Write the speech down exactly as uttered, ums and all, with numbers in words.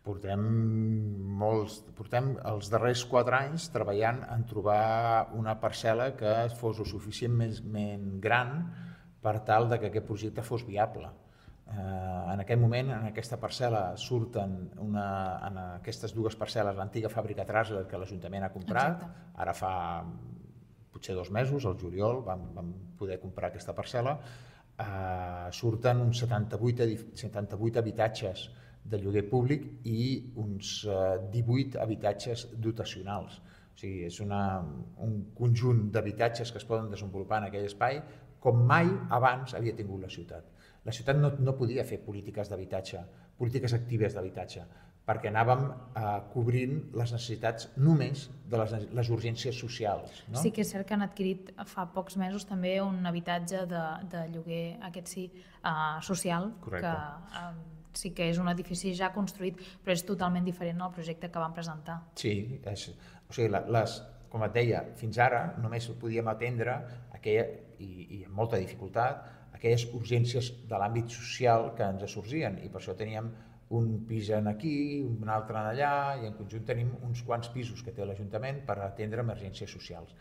Portem molts, portem els darrers quatre anys treballant en trobar una parcel·la que fos o suficientment gran per tal de que aquest projecte fos viable. Eh, en aquest moment, en aquesta parcel·la, surten una, en aquestes dues parcel·les l'antiga fàbrica Trasler que l'Ajuntament ha comprat. Exacte. Ara fa potser dos mesos, al juliol, vam, vam poder comprar aquesta parcel·la. Eh, surten uns setanta-vuit, setanta-vuit habitatges de lloguer públic i uns divuit habitatges dotacionals. O sigui, és una, un conjunt d'habitatges que es poden desenvolupar en aquell espai com mai abans havia tingut la ciutat. La ciutat no, no podia fer polítiques d'habitatge, polítiques actives d'habitatge, perquè anàvem eh, cobrint les necessitats només de les, les urgències socials. No? Sí que és cert que han adquirit fa pocs mesos també un habitatge de, de lloguer, aquest sí, uh, social, Correcte. que uh, sí que és un edifici ja construït, però és totalment diferent al projecte que van presentar. Sí, és, o sigui, les, com et deia, fins ara només podíem atendre aquella, i, i amb molta dificultat, aquelles urgències de l'àmbit social que ens sorgien, i per això teníem un pis en aquí, un altre en allà, i en conjunt tenim uns quants pisos que té l'Ajuntament per atendre emergències socials.